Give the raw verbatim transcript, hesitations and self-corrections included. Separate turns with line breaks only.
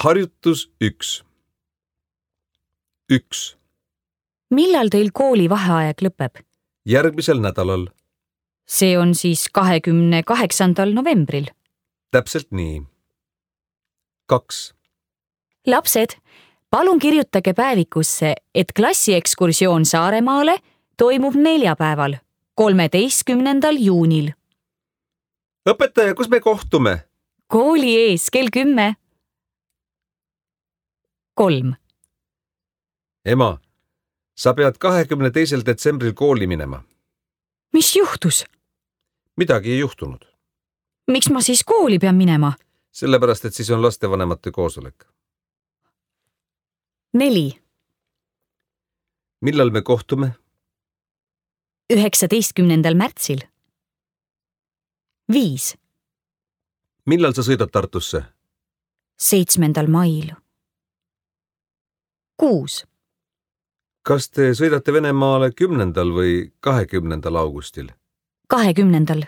Harjutus üks. üks.
Millal teil kooli vaheaeg lõpeb?
Järgmisel nädalal.
See on siis kahekümne kaheksandal novembril.
Täpselt nii. kaks.
Lapsed, palun kirjutage päevikusse, et klassiekskursioon Saaremaale toimub neljapäeval, kolmeteistkümnendal juunil.
Õpetaja, kus me kohtume?
Kooli ees kell kümme. kolm.
Ema, sa pead kahekümne teisel detsembril kooli minema.
Mis juhtus?
Midagi ei juhtunud.
Miks ma siis kooli pean minema?
Sellepärast, et siis on lastevanemate koosolek.
neli.
Millal me kohtume?
üheksateistkümnendal märtsil. viis.
Millal sa sõidad Tartusse?
seitsmendal mail. kuus.
Kas te sõidate Venemaale kümnendal või kahekümnendal augustil?
kahekümnendal.